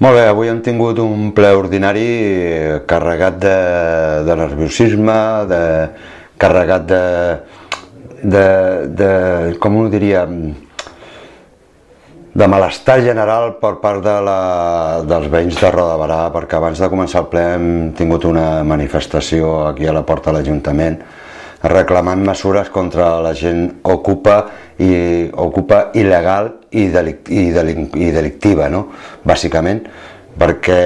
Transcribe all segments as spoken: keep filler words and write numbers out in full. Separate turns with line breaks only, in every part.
Molt bé, avui hem tingut un ple ordinari carregat de, de nerviosisme, de, carregat de, de, de, com ho diria, de malestar general per part de la, dels veïns de Roda de Berà, perquè abans de començar el ple hem tingut una manifestació aquí a la porta de l'Ajuntament reclamant mesures contra la gent ocupa i ocupa il·legal i, delict, i, delict, i delictiva, no? Bàsicament, perquè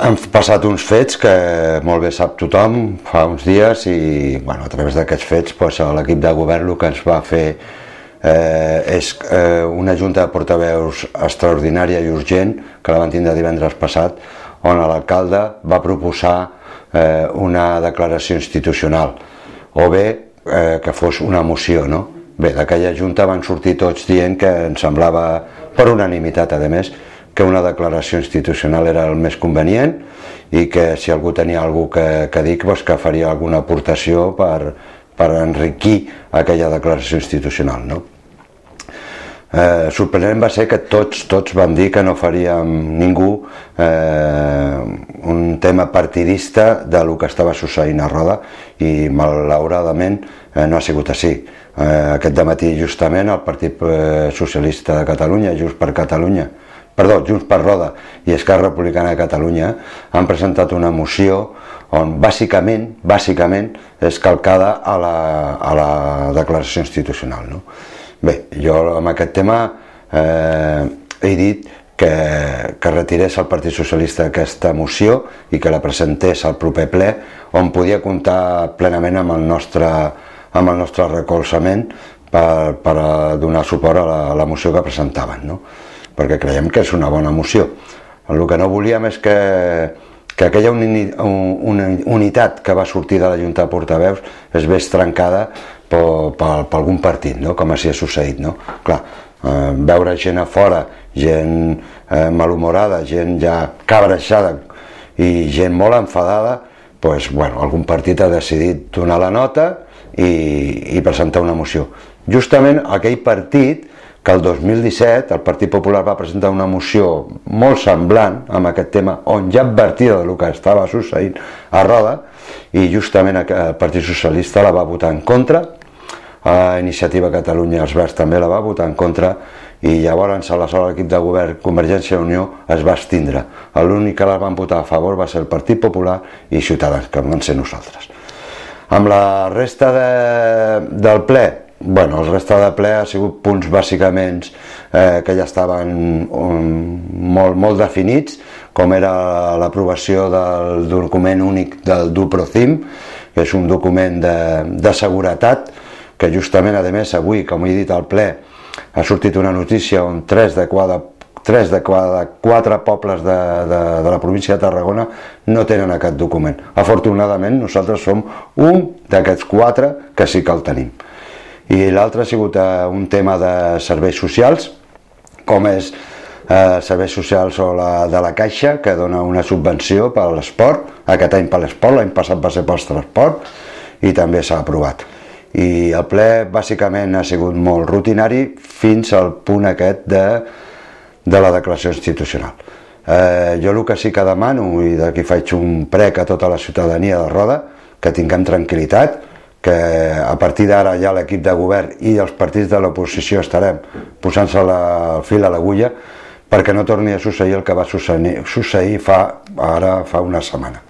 han passat uns fets que molt bé sap tothom fa uns dies i bueno, a través d'aquests fets doncs, l'equip de govern el que ens va fer eh, és eh, una junta de portaveus extraordinària i urgent que la van tindre divendres passat, on l'alcalde va proposar eh, una declaració institucional o bé eh, que fos una moció, no? Bé, d'aquella junta van sortir tots dient que ens semblava, per unanimitat a més, que una declaració institucional era el més convenient i que si algú tenia algú que, que dir, doncs que faria alguna aportació per, per enriquir aquella declaració institucional, no? Eh, sorprenent va ser que tots, tots van dir que no faríem ningú eh, un tema partidista de lo que estava succeint a Roda i malauradament eh, no ha sigut així. Eh, aquest dematí justament el Partit Socialista de Catalunya, Junts per Catalunya, perdó, Junts per Roda i Esquerra Republicana de Catalunya han presentat una moció on bàsicament, bàsicament és calcada a la, a la declaració institucional, no? Bé, jo amb aquest tema eh, he dit que, que retirés el Partit Socialista aquesta moció i que la presentés al proper ple on podia comptar plenament amb el nostre, amb el nostre recolzament per, per donar suport a la, a la moció que presentaven, no? Perquè creiem que és una bona moció. El que no volíem és que, que aquella uni, una unitat que va sortir de la Junta de Portaveus es vés trencada per, per, per algun partit, no? Com així ha succeït, no? Clar, eh, veure gent a fora, gent eh, malhumorada, gent ja cabreixada i gent molt enfadada, doncs, bueno, algun partit ha decidit donar la nota i, i presentar una moció. Justament aquell partit que el dos mil disset el Partit Popular va presentar una moció molt semblant amb aquest tema, on ja advertia del que estava succeint a Roda, i justament el Partit Socialista la va votar en contra, a Iniciativa Catalunya els Verds també la va votar en contra, i llavors aleshores l'equip de govern Convergència i Unió es va abstindre. L'únic que la van votar a favor va ser el Partit Popular i Ciutadans, que van ser nosaltres. Amb la resta de, del ple, bueno, el resta de ple ha sigut punts bàsicament eh, que ja estaven um, molt, molt definits, com era l'aprovació del document únic del DUPROCIM, que és un document de, de seguretat, que justament, a més, avui, com he dit al ple, ha sortit una notícia on tres de cada, tres de cada quatre pobles de, de, de la província de Tarragona no tenen aquest document. Afortunadament, nosaltres som un d'aquests quatre que sí que el tenim. I l'altre ha sigut eh, un tema de serveis socials, com és eh, serveis socials o la, de la Caixa, que dona una subvenció per a l'esport, aquest any per l'esport, l'any passat va ser pel transport, i també s'ha aprovat. I el ple bàsicament ha sigut molt rutinari fins al punt aquest de, de la declaració institucional. Eh, jo el que sí que demano, i d'aquí faig un prec a tota la ciutadania de Roda, que tinguem tranquil·litat, que a partir d'ara ja l'equip de govern i els partits de l'oposició estarem posant-se el fil a l'agulla perquè no torni a succeir el que va succeir, succeir fa, ara fa una setmana.